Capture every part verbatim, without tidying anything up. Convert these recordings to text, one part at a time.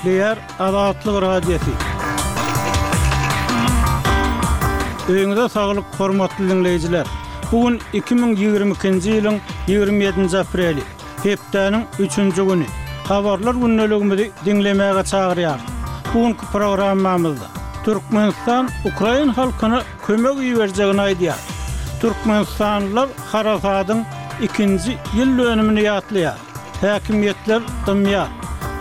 Gepleýär Azatlyk Radiosy. Öýüňize saglyk, hormatly diňleýjiler! Bu gün iki müň ýigrimi ikinji ýylyň ýigrimi ýedinji apreli, hepdäniň üçünji güni. Habarlar gündeligimizi diňlemäge çagyrýarys. Bu günki programmamyzda Türkmenistan ukrain halkyna kömek iberjegini aýdýar. Türkmenistanlylar harasadyň ikinji ýyl dönümini ýatlaýar. Häkimiýetler dymýar.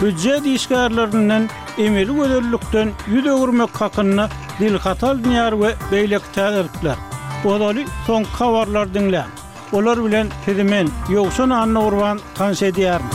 Býujet işgärlerinden emeli gözellikden ýüz öwürmek hakynda dilhat alynýar we beýleki täzelikler. Ozaly soňky habarlary diňläň. Olar bilen sizi men, Ýowşan Annagurban tanyş edýärin.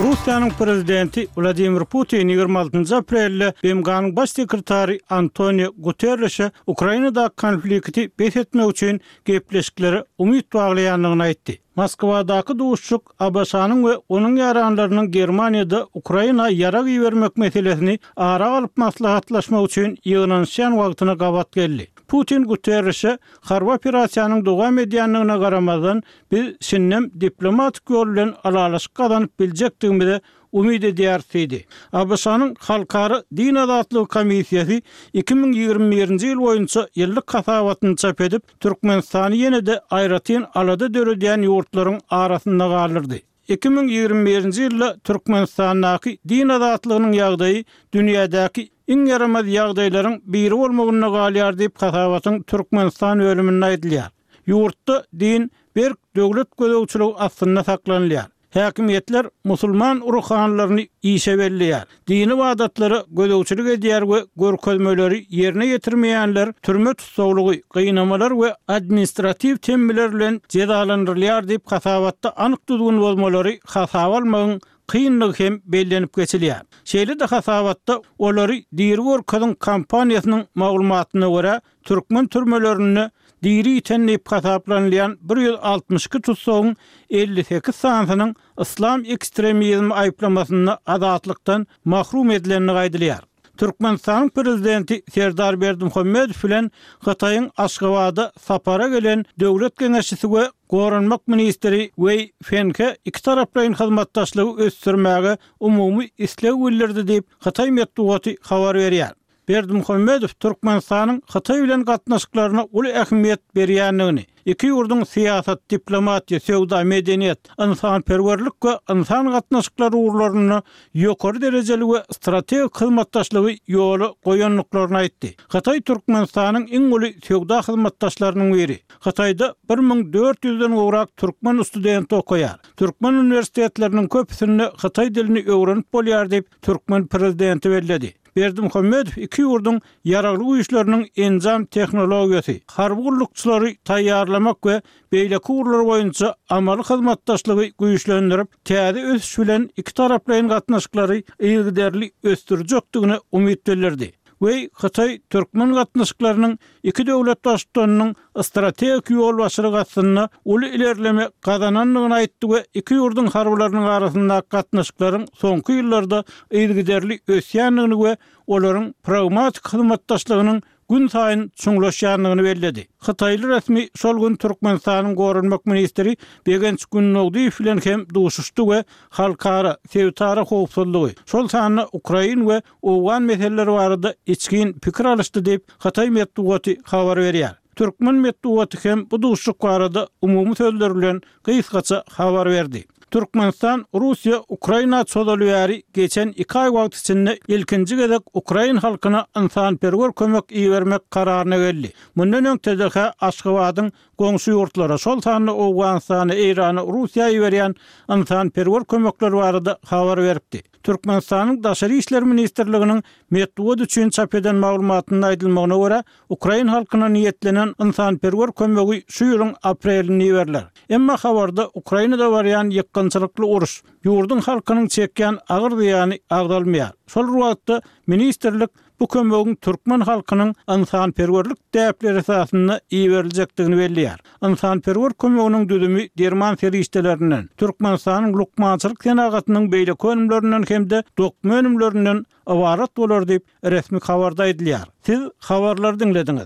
Russiýanyň prezidenti Wladimir Putin ýigrimi altynjy aprelde B M G-nyň baş sekretary Antonio Guterreşe Ukrainadaky konflikti bes etmek üçin gepleşiklere umyt baglaýandygyny aýtdy. Moskwadaky duşuşyk A B Ş-nyň we onuň ýaranlarynyň Germaniýada Ukraina ýarag ibermek meselesini ara alyp maslahatlaşmak üçin ýygnanyşýan wagtyna gabat geldi. Putin Guterreşe harby operasiýanyň dowam edýändigine garamazdan, biz şindem diplomatik ýol bilen ylalaşyk gazanyp biljekdigimize umyt edýäris diýdi. A B Ş-nyň Halkara din azatlygy komissiýasy iki müň ýigrimi birinji ýyl boýunça ýyllyk hasabatyny çap edip, Türkmenistany ýene-de aýratyn alada döredýän ýurtlaryň arasynda galdyrdy. Iki müň ýigrimi birinji ýylda Türkmenistandaky din azatlygynyň ýagdaýy dünýädäki iň ýaramaz ýagdaýlaryň biri bolmagynda galýar diýip hasabatyň Türkmenistan bölüminde aýdylýar. Ýurtda din berk döwlet gözegçiligi astynda saklanylýar. Häkimiýetler musulman ruhanylaryny işe belleýär, dini ybadatlara gözegçilik edýär we görkezmeleri ýerine ýetirmeýänler türme tussaglygy, gynamalar we administratiw temmiler bilen jezalandyrylýar diýip hasabatda anyk düzgün bozmalary hasaba almagyň kynlygy hem bellenip geçilýär. Şeýle-de hasabatda Olary diri görkeziň kampaniýasynyň maglumatyna görä, türkmen türmelerinde diri ýiten diýip hasaplanylýan bir ýüz altmyş iki tussagyň elli sekiz sanysynyň yslam ekstremizmi aýyplamasynda azatlykdan mahrum edilendigi aýdylýar. Türkmenistanyň Prezidenti Serdar Berdimuhamedow bilen Hytaýyň Aşgabada sapara gelen Döwlet geňeşçisi we Goranmak ministri Weý Fenhe ikitaraplaýyn hyzmatdaşlygy ösdürmäge umumy isleg bildirdi diýip, hytaý metbugaty habar berýär. Berdimuhamedow Türkmenistanyň Hytaý bilen gatnaşyklaryna uly ähmiýet berýändigini, iki ýurduň syýasat, diplomatiýa, söwda, medeniýet, ynsanperwerlik we ynsan gatnaşyklary ugurlarynda ýokary derejeli we strategik hyzmatdaşlygy ýola goýandyklaryny aýtdy. Hytaý Türkmenistanyň iň uly söwda hyzmatdaşlarynyň biri. Hytaýda bir müň dört ýüzden gowrak türkmen studenti okaýar. Türkmen uniwersitetleriniň köpüsinde hytaý dilini öwrenip bolýar diýip, türkmen prezidenti belledi. Berdimuhamedow iki ýurduň ýaragly güýçleriniň enjam tehnologiýasy, harby gullukçylary taýýarlamak we beýleki ugurlar boýunça amaly hyzmatdaşlygy güýçlendirip, täze ösüş bilen ikitaraplaýyn gatnaşyklary yzygiderli ösdürjekdigine umyt bildirdi. Weý Hytaý türkmen gatnaşyklarynyň iki döwlet baştutanynyň strategik ýolbaşçylygy astynda uly ilerleme gazanandygyny aýtdy we iki ýurduň harbylarynyň arasyndaky gatnaşyklaryň soňky ýyllarda yzygiderli ösýändigini we olaryň pragmatik hyzmatdaşlygynyň günsaýyn çuňlaşýandygyny belledi. Hytaýly resmi şol gün Türkmenistanyň goranmak ministri Begenç Gündogdyýew bilen hem duşuşdy we halkara, sebitara howpsuzlygy, şol sanda ukrain we owgan meseleleri barada içgin pikir alyşdy diýip, hytaý metbugaty habar berýär. Türkmen metbugaty hem bu duşuşyk barada umumy sözler bilen gysgaça habar berdi. Türkmenistan Russiýa Ukraina çozaly bäri geçen iki aý wagt içinde ilkinji gezek ukrain halkyna ynsanperwer kömek ibermek kararyna geldi. Mundan öň T D H Aşgabadyň goňşy ýurtlara, şol sanda Owganystana, Eýrana, Russiýa iberýän ynsanperwer kömekleri barada habar beripdi. Türkmenistanyň Daşary işler ministrliginiň metbugat üçin çap eden maglumatynda aýdylmagyna görä, ukrain halkyna niýetlenen ynsanperwer kömegi şu ýylyň aprelinde iberiler. Emma habarda Ukrainada barýan ýykgynçylykly uruş, ýurduň halkynyň çekýän agyr zyýany agzalmaýar. Şol bir wagtda ministrlik bu kömegiň türkmen halkynyň ynsanperwerlik däpleri esasynda iberiljekdigini belleýär. Ynsanperwer kömeginiň düzümi derman serişdelerinden, Türkmenistanyň lukmançylyk senagatynyň beýleki önümlerinden hem-de dokma önümlerinden ybarat bolar diýip, resmi habarda aýdylýar. Siz habarlary diňlediňiz.